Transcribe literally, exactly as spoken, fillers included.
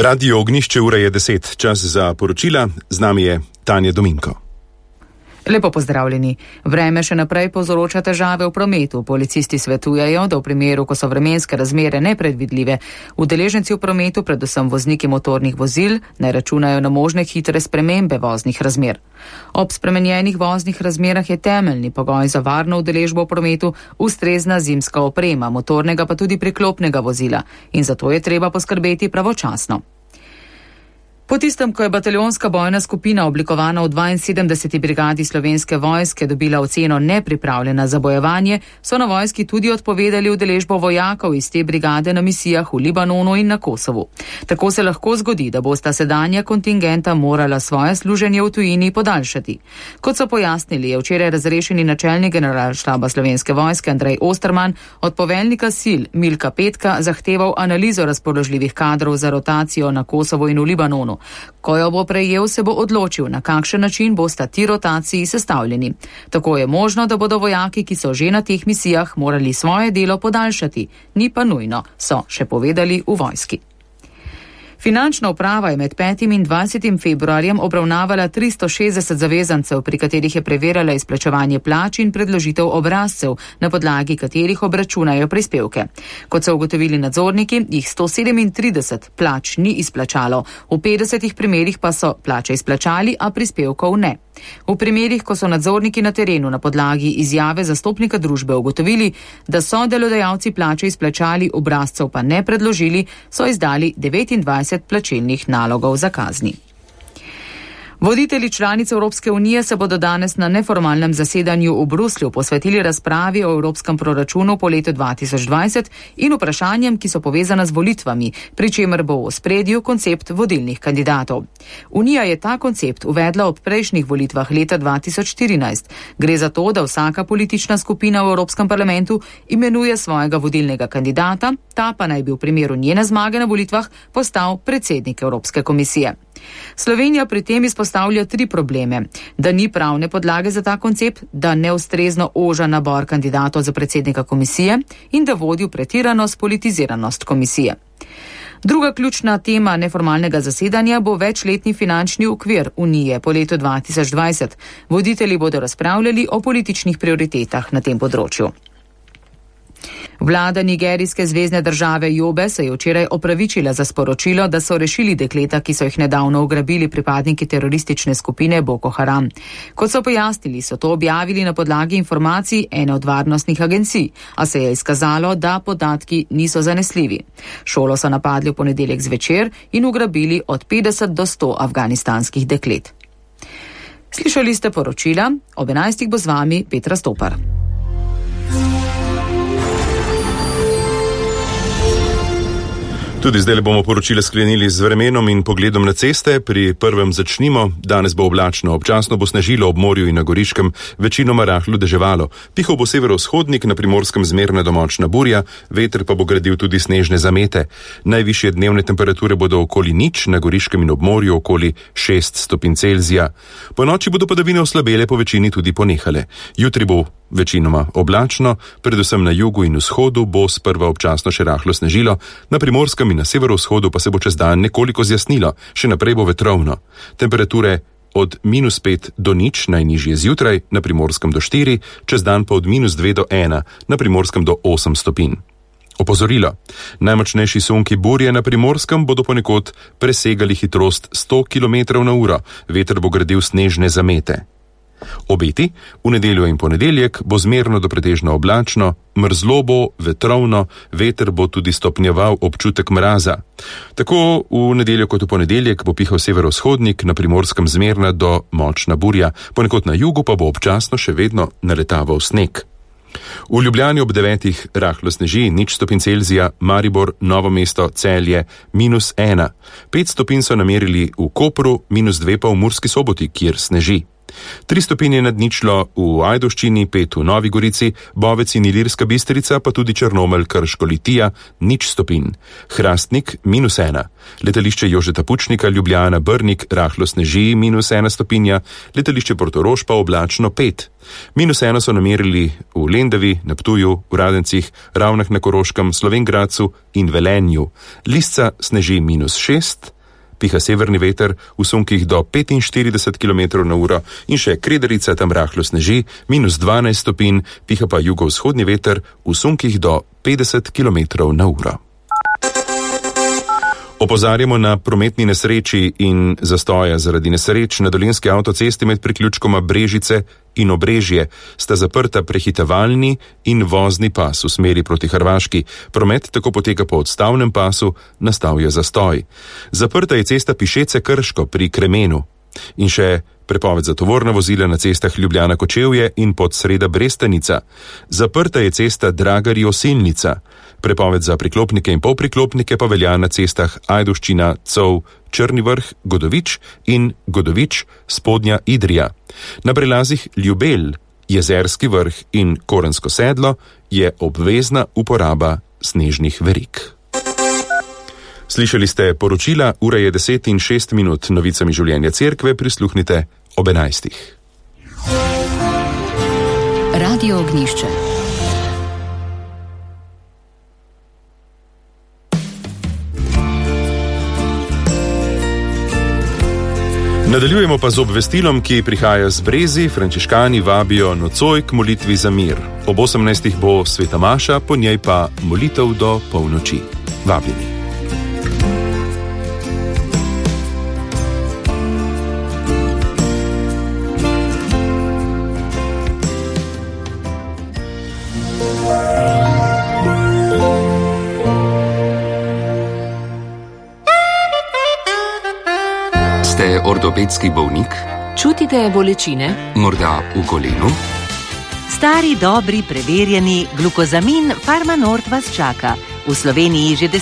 Radio Ognjišče, ura je deset, čas za poročila, z nami je Tanja Dominko. Lepo pozdravljeni. Vreme še naprej povzroča težave v prometu. Policisti svetujejo, da v primeru, ko so vremenske razmere nepredvidljive, udeleženci v prometu, predvsem vozniki motornih vozil, ne računajo na možne hitre spremembe voznih razmer. Ob spremenjenih voznih razmerah je temeljni pogoj za varno udeležbo v prometu ustrezna zimska oprema, motornega pa tudi priklopnega vozila, in zato je treba poskrbeti pravočasno. Po tistem, ko je bataljonska bojna skupina oblikovana v dvainsedemdeseti brigadi Slovenske vojske dobila oceno nepripravljena za bojevanje, so na vojski tudi odpovedali udeležbo vojakov iz te brigade na misijah v Libanonu in na Kosovu. Tako se lahko zgodi, da bosta sedanja kontingenta morala svoje služenje v tujini podaljšati. Kot so pojasnili, je včeraj razrešeni načelnik generalštaba Slovenske vojske Andrej Osterman od poveljnika sil Milka Petka zahteval analizo razpoložljivih kadrov za rotacijo na Kosovo in v Libanonu. Ko jo bo prejel, se bo odločil, na kakšen način bosta ti rotaciji sestavljeni. Tako je možno, da bodo vojaki, ki so že na teh misijah, morali svoje delo podaljšati. Ni pa nujno, so še povedali v vojski. Finančna uprava je med petim in dvajsetim februarjem obravnavala tristo šestdeset zavezancev, pri katerih je preverjala izplačevanje plač in predložitev obrazcev, na podlagi katerih obračunajo prispevke. Kot so ugotovili nadzorniki, jih sto sedemintrideset plač ni izplačalo, v petdesetih primerih pa so plače izplačali, a prispevkov ne. V primerih, ko so nadzorniki na terenu na podlagi izjave zastopnika družbe ugotovili, da so delodajalci plače izplačali, obrazcev pa ne predložili, so izdali devetindvajset plačilnih nalogov za kazni. Voditelji članic Evropske unije se bodo danes na neformalnem zasedanju v Bruslju posvetili razpravi o evropskem proračunu po letu dva tisoč dvajset in vprašanjem, ki so povezana z volitvami, pri čemer bo v ospredju koncept vodilnih kandidatov. Unija je ta koncept uvedla ob prejšnjih volitvah leta dva tisoč štirinajst. Gre za to, da vsaka politična skupina v Evropskem parlamentu imenuje svojega vodilnega kandidata, ta pa naj bi v primeru njene zmage na volitvah postal predsednik Evropske komisije. Slovenija pri tem izpostavlja tri probleme: da ni pravne podlage za ta koncept, da neustrezno oža nabor kandidatov za predsednika komisije in da vodi v pretirano spolitiziranost komisije. Druga ključna tema neformalnega zasedanja bo večletni finančni okvir Unije po letu dva tisoč dvajset. Voditelji bodo razpravljali o političnih prioritetah na tem področju. Vlada nigerijske zvezne države Jobe se je včeraj opravičila za sporočilo, da so rešili dekleta, ki so jih nedavno ugrabili pripadniki teroristične skupine Boko Haram. Kot so pojasnili, so to objavili na podlagi informacij ene od varnostnih agencij, a se je izkazalo, da podatki niso zanesljivi. Šolo so napadli v ponedeljek zvečer in ugrabili od petdeset do sto afganistanskih deklet. Slišali ste poročila, ob enajstih bo z vami Petra Stopar. Tudi zdaj bomo poročile sklenili z vremenom in pogledom na ceste. Pri prvem začnimo. Danes bo oblačno, občasno bo snežilo ob morju in na Goriškem, večinoma rahlo deževalo. Pihal bo severovzhodnik, na Primorskem zmerna do močna burja, veter pa bo gradil tudi snežne zamete. Najvišje dnevne temperature bodo okoli nič, na Goriškem in ob morju okoli šest stopinj Celzija. Po noči bodo padavine oslabele, po večini tudi ponehale. Jutri bo večinoma oblačno, predvsem na jugu in vzhodu bo sprva občasno še rahlo snežilo, na Primorskem in na severovzhodu pa se bo čez dan nekoliko zjasnilo, še naprej bo vetrovno. Temperature od minus pet do nič, najnižje zjutraj, na Primorskem do štiri, čez dan pa od minus dve do ena, na Primorskem do osem stopinj. Opozorilo. Najmočnejši sunki burje na Primorskem bodo ponekod presegali hitrost sto kilometrov na uro, veter bo gradil snežne zamete. Obeti, v nedeljo in ponedeljek bo zmerno do pretežno oblačno, mrzlo bo, vetrovno, veter bo tudi stopnjeval občutek mraza. Tako v nedeljo kot v ponedeljek bo pihal severovzhodnik, na Primorskem zmerna do močna burja, ponekod na jugu pa bo občasno še vedno naletaval sneg. V Ljubljani ob devetih rahlo sneži, nič stopinj Celzija, Maribor, Novo mesto, Celje, minus ena. Pet stopinj so namerili v Kopru, minus dve pa v Murski Soboti, kjer sneži. Tri stopinje nad ničlo v Ajdovščini, pet v Novi Gorici, Bovec in Ilirska Bistrica, pa tudi Črnomelj, Krško, Litija, nič stopinj. Hrastnik, minus ena. Letališče Jožeta Pučnika, Ljubljana, Brnik, rahlo sneži, minus ena stopinja. Letališče Portorož pa oblačno, pet. Minus eno so namerili v Lendavi, na Ptuju, v Radencih, Ravnah na Koroškem, Slovenj Gradcu in Velenju. Lisca sneži minus šest. Piha severni veter v sunkih do petinštirideset kilometrov na uro in še Krederica tam rahlo sneži, minus dvanajst stopinj, piha pa jugovzhodni veter v sunkih do petdeset kilometrov na uro. Opozarjamo na prometni nesreči in zastoja zaradi nesreč na dolenjski avtocesti med priključkoma Brežice in Obrežje. Sta zaprta prehitevalni in vozni pas v smeri proti Hrvaški. Promet tako poteka po odstavnem pasu, nastal je zastoj. Zaprta je cesta Pišece Krško pri Kremenu. In še prepoved za tovorna vozila na cestah Ljubljana Kočevje in Podsreda Brestanica. Zaprta je cesta Dragari Osilnica. Prepoved za priklopnike in polpriklopnike pa velja na cestah Ajdovščina, Cov, Črni Vrh, Godovič in Godovič, Spodnja Idrija. Na prelazih Ljubelj, Jezerski Vrh in Korensko sedlo je obvezna uporaba snežnih verig. Slišali ste poročila, ura je deset in šest minut, novicami življenja cerkve prisluhnite ob enajstih. Radio Ognjišče. Nadaljujemo pa z obvestilom, ki prihaja z Brezi. Frančiškani vabijo nocoj k molitvi za mir. Ob osemnajstih bo sveta maša, po njej pa molitev do polnoči. Vabljeni. Ortopedski bolnik? Čutite bolečine? Morda v kolenu? Stari, dobri, preverjeni glukozamin Farmanort vas čaka. V Sloveniji že